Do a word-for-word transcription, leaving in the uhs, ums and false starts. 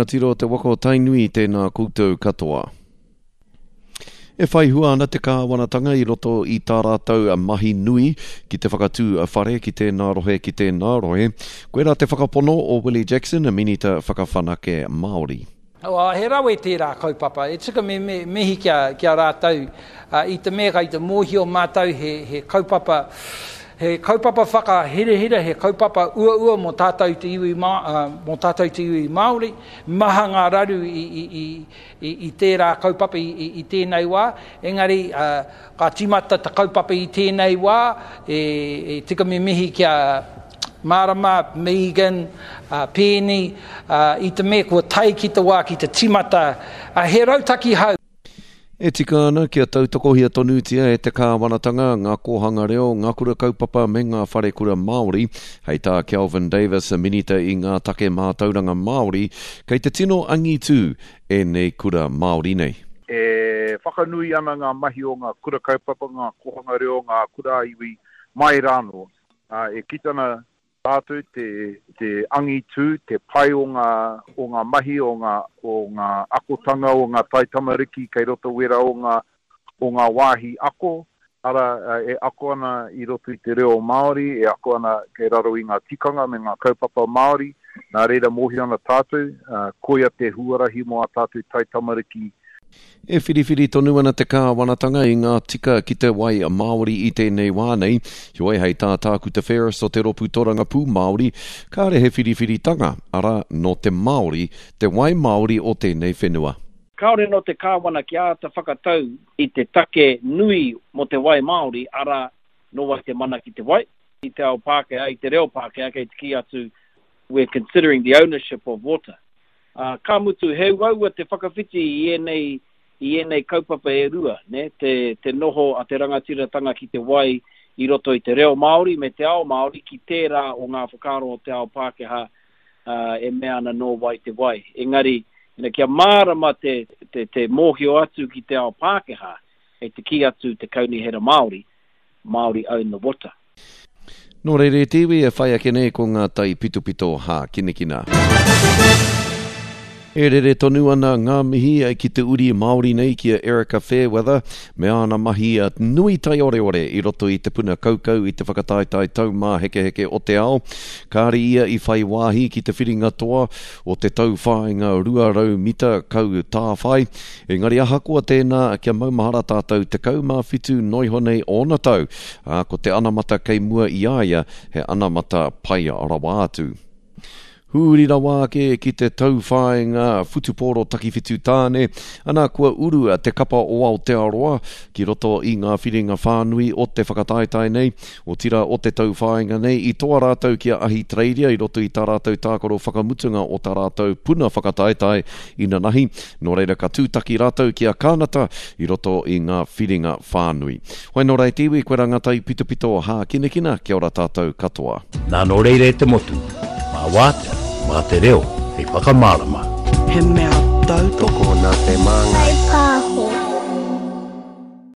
rangatira o te waka o Tainui, tēnā koutou katoa. E whai hua ana te kāwanatanga i roto i tā rātou mahi nui ki te whakatū whare ki tēnā rohe ki tēnā rohe. Koirā te whakapono o Willie Jackson, Minita Whakawhanake Māori. Oh, he rawe tērā kaupapa. E tika me, me mihi ki a, ki a rātou uh, i te mea i te mōhio mātou he, he kaupapa he kaupapa whakahirahira, he kaupapa uaua mō tātou te iwi, uh, mō tātou te iwi Māori. Maha ngā raru i, i, i, i, i tērā kaupapa i, i, i tēnei wā. Engari, uh, ka tīmata te kaupapa i tēnei wā, e, e tika me mihi ki a Marama, Megan, uh, Pēni, uh, i te mea kua tae ki te wā ki te tīmata. Uh, he rautaki hou. E tika ana kia tautokohia tonutia e te kāwanatanga, ngā kōhanga reo, ngā kura kaupapa me ngā wharekura Māori. Hei tā Kelvin Davis, minita i ngā take mātauranga Māori, kei te tino angitū ēnei kura Māori nei. E whakanui ana ngā mahi o ngā kura kaupapa, ngā kōhanga reo, ngā kura iwi mai rānō. E kite ana tātou te, te angitū, te pai o ngā, o ngā mahi, o ngā, o ngā akotanga, o ngā taitamariki kei roto wera o ngā, o ngā wāhi ako, ara e ako ana i roto i te reo Māori, e ako ana kei raro i ngā tikanga me ngā kaupapa Māori, nā reira mōhio ana tātou, koia te huarahi mō a tātou taitamariki. E whiriwhiri tonu ana te kāwanatanga i ngā tika ki te wai Māori i tēnei wā nei. Heoi hei tā Tākuta Ferris o te Ropu Torangapū Māori, kāre he whiriwhiritanga, ara nō te Māori, te wai Māori o tēnei whenua. Kāore nō te kāwana ki āta whakatau i te take nui mō te wai Māori, ara nō wai te mana ki te wai. I te ao Pākehā, i te reo Pākehā, kei te kī atu, we're considering the ownership of water. Uh, ka mutu, he uaua te whakawhiti i ēnei, i ēnei kaupapa e rua, ne? Te, te noho a te rangatiratanga ki te wai i roto i te reo Māori me te ao Māori ki tērā o ngā whakaaro o te ao Pākehā uh, e mea ana nō wai te wai. Engari, ina, kia mārama te, te, te mōhio atu ki te ao Pākehā, e te kī atu te kaunihera Māori, Māori own the water. Nō reira te iwi e whai ake nei ko ngā tai pitopito hākinakina. E rere tonu ana ngā mihi ki te uri Māori nei ki a Erika Fairweather me āna mahi nui taioreore i roto i te puna kaukau i te whakataetae taumāhekeheke o te ao. Kāre ia i whai wāhi ki te whiringa toa o te tauwhāinga rua rau mita kau tāwhai. Engari ahakoa tēnā kia maumahara tātou tekau mā whitu noiho nei ōna tau. Ā, ko te anamata kei mua i a ia, he anamata pai rawa atu. Huri rawa ake ki te tauwhāinga whutupōro takiwhitu tāne, ana kua uru te kapa o Aotearoa ki roto i ngā whiringa whānui o te whakataetae nei, otira o te tauwhāinga nei, i toa rātou ki a Ahitereiria i roto i tā rātou tākaro whakamutunga o tā rātou puna whakataetae inanahi. Nō reira ka tūtaki rātou ki a Kānata i roto i ngā whiringa whānui. Hoi nō rei te iwi, koe rā ngā tai pitopito hākinakina, kia ora tātou katoa. Nā nō reira e te motu, mā wātea, mā te reo, hei whakamārama. He mea tautoko nā te māngai.